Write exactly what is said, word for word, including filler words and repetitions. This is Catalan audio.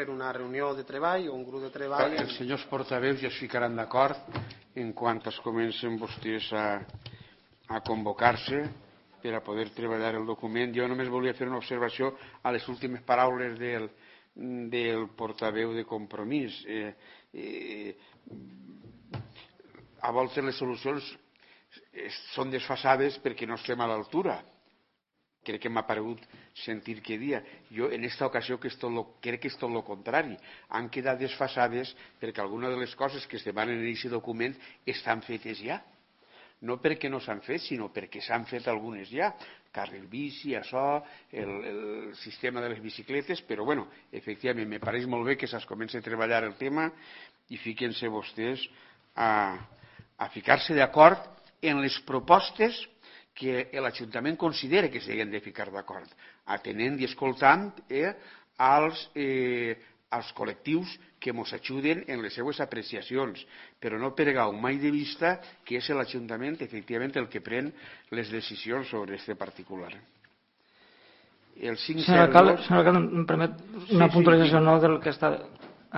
per una reunió de treball o un grup de treball. Els senyors portaveus ja es ficaran d'acord en quan es comencen vostès a, a convocar-se per a poder treballar el document. Jo només volia fer una observació a les últimes paraules del, del portaveu de Compromís. Eh, eh, a voltes les solucions són desfasades perquè no estem a l'altura. Crec que m'ha paregut sentir que dia. Jo en aquesta ocasió que és tot lo, crec que és tot el contrari. Han quedat desfasades perquè algunes de les coses que es demanen en aquest document estan fetes ja. No perquè no s'han fet, sinó perquè s'han fet algunes ja. Carril bici, això, el, el sistema de les bicicletes, però bueno, efectivament, me pareix molt bé que se'ls comenci a treballar el tema i fiquen-se vostès a, a ficar-se d'acord en les propostes que l'Ajuntament considera que s'han de ficar d'acord, atenent i escoltant eh, als, eh, als col·lectius que ens ajuden en les seues apreciacions, però no perdeu mai de vista que és l'Ajuntament efectivament el que pren les decisions sobre aquest particular. El cinc zero dos... Senyora alcalde, em permet una sí, puntualització sí, no del que està...